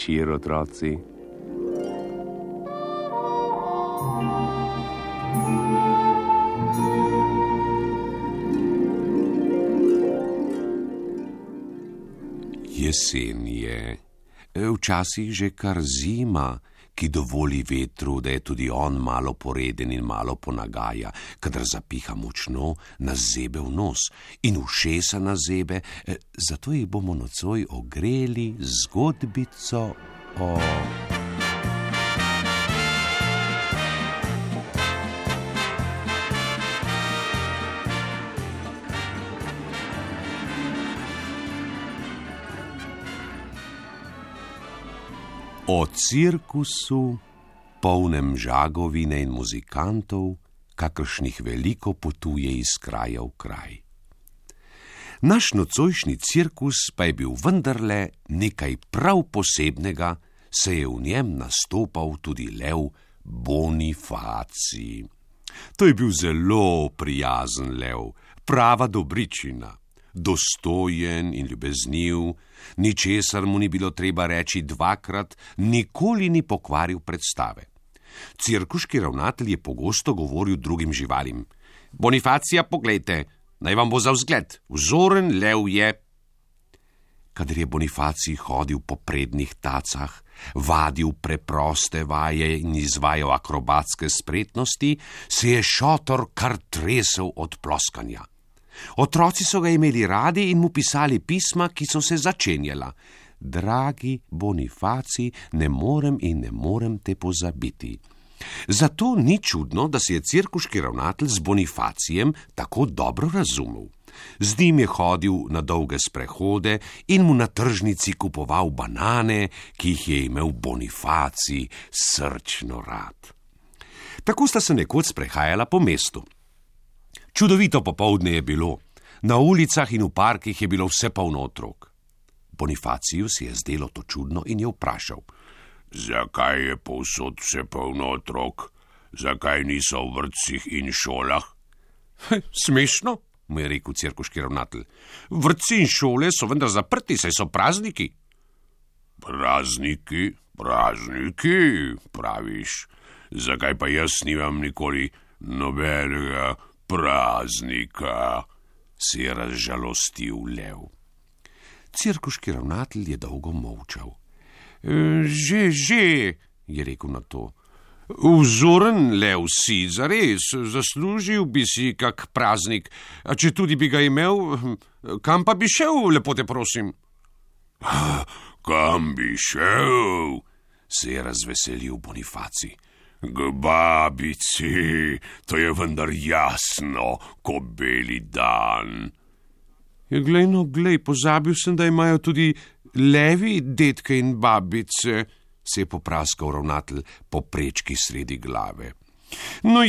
večer, otroci. Jesen je, včasih že kar zima, ki dovoli vetru, da je tudi on malo poreden in malo ponagaja, kadar zapiha močno, nas zebe v nos in ušesa nas zebe, zato jih bomo nocoj ogreli z zgodbico o... O cirkusu, polnem žagovine in muzikantov, kakršnih veliko potuje iz kraja v kraj. Naš nocojšnji cirkus pa je bil vendarle nekaj prav posebnega, saj je v njem nastopal tudi lev Bonifacij. To je bil zelo prijazen lev, prava dobričina. Dostojen in ljubezniv, ničesar mu ni bilo treba reči dvakrat, nikoli ni pokvaril predstave. Cirkuški ravnatelj je pogosto govoril drugim živalim: Bonifacija, poglejte, naj vam bo za vzgled, vzoren lev je. Kadar je Bonifacij hodil po prednjih tacah, vadil preproste vaje in izvajal akrobatske spretnosti, se je šotor kar tresel od ploskanja. Otroci so ga imeli radi in mu pisali pisma, ki so se začenjala: Dragi Bonifacij, ne morem te pozabiti. Zato ni čudno, da se je cirkuški ravnatelj z Bonifacijem tako dobro razumel. Z njim je hodil na dolge sprehode in mu na tržnici kupoval banane, ki jih je imel Bonifacij srčno rad. Tako sta se nekoč sprehajala po mestu. Čudovito popoldne je bilo, na ulicah in v parkih je bilo vse polno otrok. Bonifaciju si je zdelo to čudno in je vprašal: Zakaj je povsod vse polno otrok? Zakaj niso v vrtcih in šolah? Smešno, mu je rekel cirkuški ravnatelj. Vrtci in šole so vendar zaprti, saj so prazniki. Prazniki, praviš. Zakaj pa jaz nimam nikoli nobenega praznika, se je razžalostil lev. Cirkuški ravnatelj je dolgo molčal. Že, je rekel na to. Vzoren lev si, zares, zaslužil bi si kak praznik, a če tudi bi ga imel, kam pa bi šel, lepo te prosim? Kam bi šel? Se je razveselil Bonifacij. K babici, to je vendar jasno, ko beli dan. Glej, pozabil sem, da imajo tudi levi dedke in babice, se je popraskal ravnatelj po prečki sredi glave. No,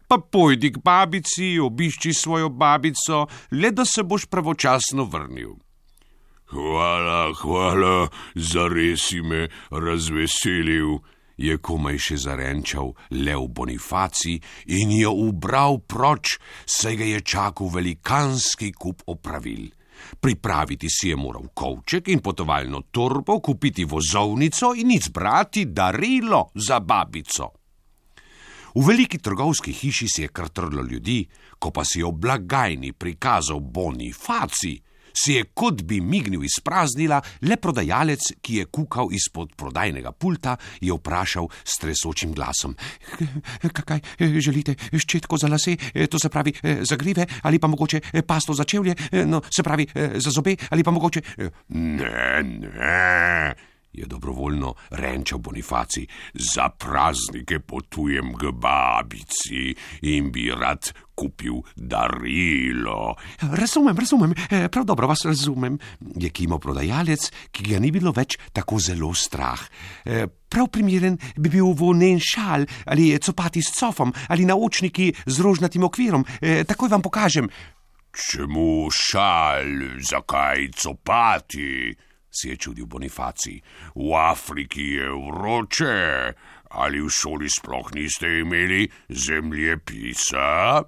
pa pojdi k babici, obišči svojo babico, le da se boš pravočasno vrnil. Hvala, zares si me razveselil, je komaj še zarenčal lev Bonifacij in je ubral proč, saj ga je čakal velikanski kup opravil. Pripraviti si je moral kovček in potovalno torbo, kupiti vozovnico in izbrati darilo za babico. V veliki trgovski hiši se je kar trlo ljudi, ko pa si je v blagajni prikazal Bonifacij, se je kot bi mignil izpraznila, le prodajalec, ki je kukal izpod prodajnega pulta, je vprašal s tresočim glasom: Kaj želite, ščetko za lase, to se pravi za grive, ali pa mogoče pasto za čevlje, no se pravi za zobe, ali pa mogoče... Ne, je dobrovoljno renčal Bonifacij. Za praznike potujem k babici in bi rad kupil darilo. Razumem, prav dobro vas razumem, je kimal prodajalec, ki ga ni bilo več tako zelo strah. Prav primeren bi bil volnen šal, ali copati s cofom, ali naočniki z rožnatim okvirom. Takoj vam pokažem. Čemu šal, zakaj copati? Se je čudil Bonifacij. V Afriki je vroče, ali v šoli sploh niste imeli zemljepisa?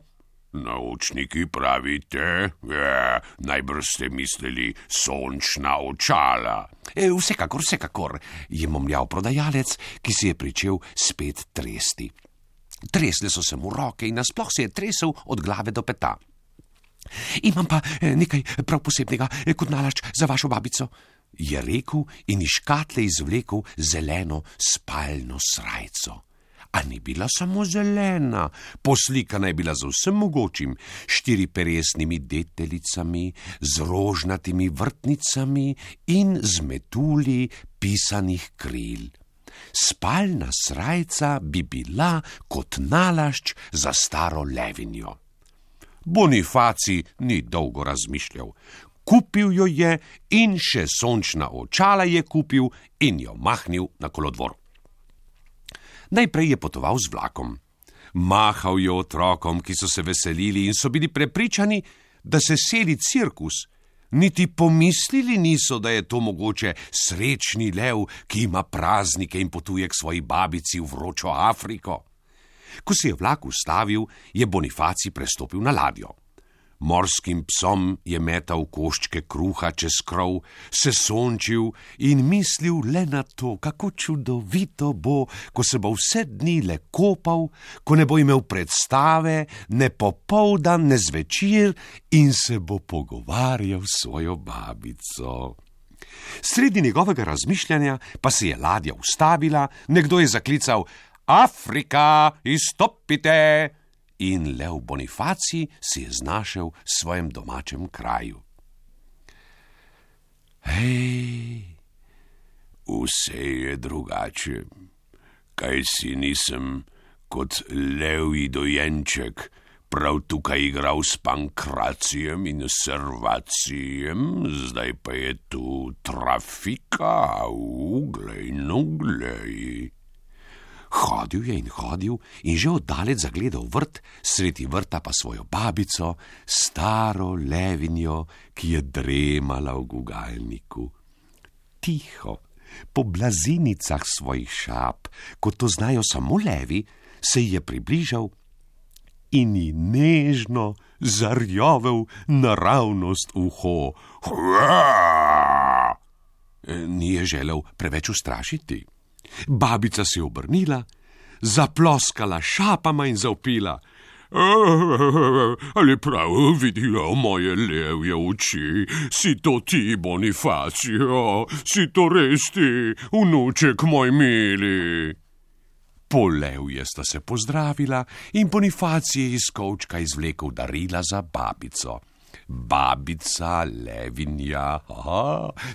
Naučniki pravite, najbrž ste mislili sončna očala. Vsekakor, je momljal prodajalec, ki se je pričel spet tresti. Tresle so se mu roke in nasploh se je tresel od glave do peta. Imam pa nekaj prav posebnega kot nalašč za vašo babico, je rekel in iz škatle izvlekel zeleno spalno srajco. A ni bila samo zelena, poslikana je bila z vsem mogočim, 4peresnimi deteljicami, z rožnatimi vrtnicami in z metulji pisanih kril. Spalna srajca bi bila kot nalašč za staro levinjo. Bonifacij ni dolgo razmišljal. Kupil jo je in še sončna očala je kupil in jo mahnil na kolodvor. Najprej je potoval z vlakom. Mahal je otrokom, ki so se veselili in so bili prepričani, da se seli cirkus. Niti pomislili niso, da je to mogoče srečni lev, ki ima praznike in potuje k svoji babici v vročo Afriko. Ko se je vlak ustavil, je Bonifacij prestopil na ladjo. Morskim psom je metal koščke kruha čez krov, se sončil in mislil le na to, kako čudovito bo, ko se bo vse dni le kopal, ko ne bo imel predstave, ne popoldan, ne zvečer in se bo pogovarjal s svojo babico. Sredi njegovega razmišljanja pa se je ladja ustavila, nekdo je zaklical: Afrika, izstopite! In lev Bonifacij se je znašel v svojem domačem kraju. Hej, vse je drugače. Kaj si nisem kot levji dojenček prav tukaj igral s Pankracijem in Servacijem, zdaj pa je tu trafika, glej. Hodil je in že oddalec zagledal vrt, sredi vrta pa svojo babico, staro levinjo, ki je dremala v gugalniku. Tiho, po blazinicah svojih šap, kot to znajo samo levi, se ji je približal in ji nežno zarjovel naravnost uho. Ni je želel preveč ustrašiti. Babica se je obrnila, zaploskala šapama in zavpila: Ali prav vidijo moje levje oči? Si to ti, Bonifacij? Si to res ti, vnuček moj mili? Polevje sta se pozdravila in Bonifacij je iz kovčka izvlekel darila za babico. Babica levinja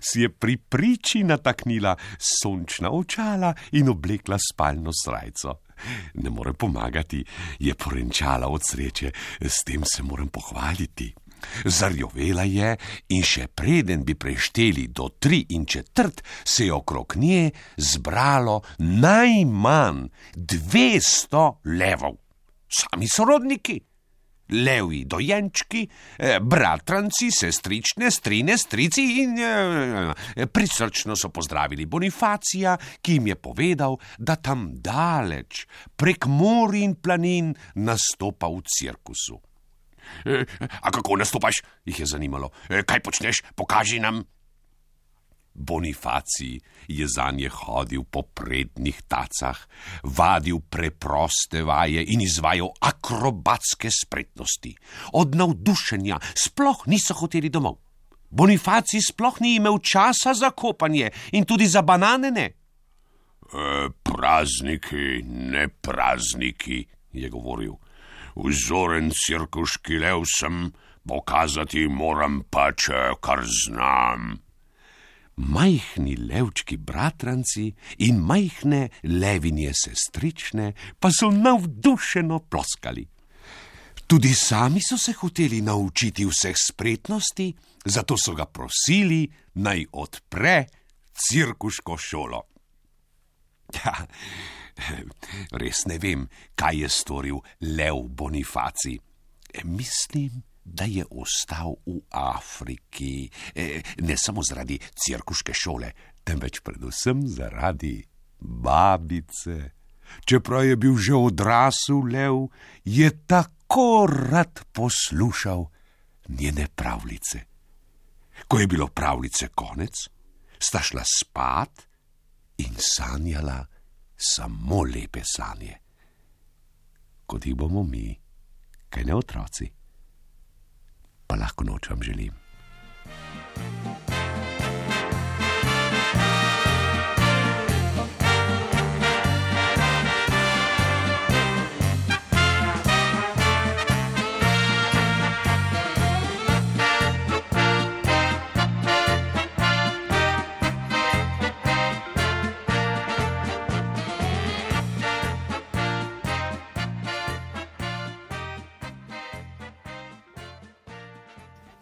si je pri priči nataknila sončna očala in oblekla spalno srajco. Ne more pomagati, je porenčala od sreče, s tem se moram pohvaliti. Zarjovela je in še preden bi prešteli do 3 1/4, se je okrog nje zbralo najmanj 200 levov. Sami sorodniki. Levji dojenčki, bratranci, sestrične, strine, strici in prisrčno so pozdravili Bonifacija, ki jim je povedal, da tam daleč, prek morij in planin, nastopa v cirkusu. A kako nastopaš? Jih je zanimalo. Kaj počneš? Pokaži nam. Bonifacij je zanje hodil po prednjih tacah, vadil preproste vaje in izvajal akrobatske spretnosti. Od navdušenja sploh niso hoteli domov. Bonifacij sploh ni imel časa za kopanje in tudi za banane ne. Prazniki, ne prazniki, je govoril. Vzoren cirkuški lev sem, pokazati moram pač, kar znam. Majhni levčki bratranci in majhne levinje sestrične pa so navdušeno ploskali. Tudi sami so se hoteli naučiti vseh spretnosti, zato so ga prosili, naj odpre cirkuško šolo. Res ne vem, kaj je storil lev Bonifacij. Mislim, da je ostal v Afriki, ne samo zaradi cirkuške šole, temveč predvsem zaradi babice. Čeprav je bil že odrasel lev, je tako kako rad poslušal njene pravljice. Ko je bilo pravljice konec, sta šla spat in sanjala samo lepe sanje. Kot jih bomo mi, kaj ne otroci, pa lahko noč vam želim.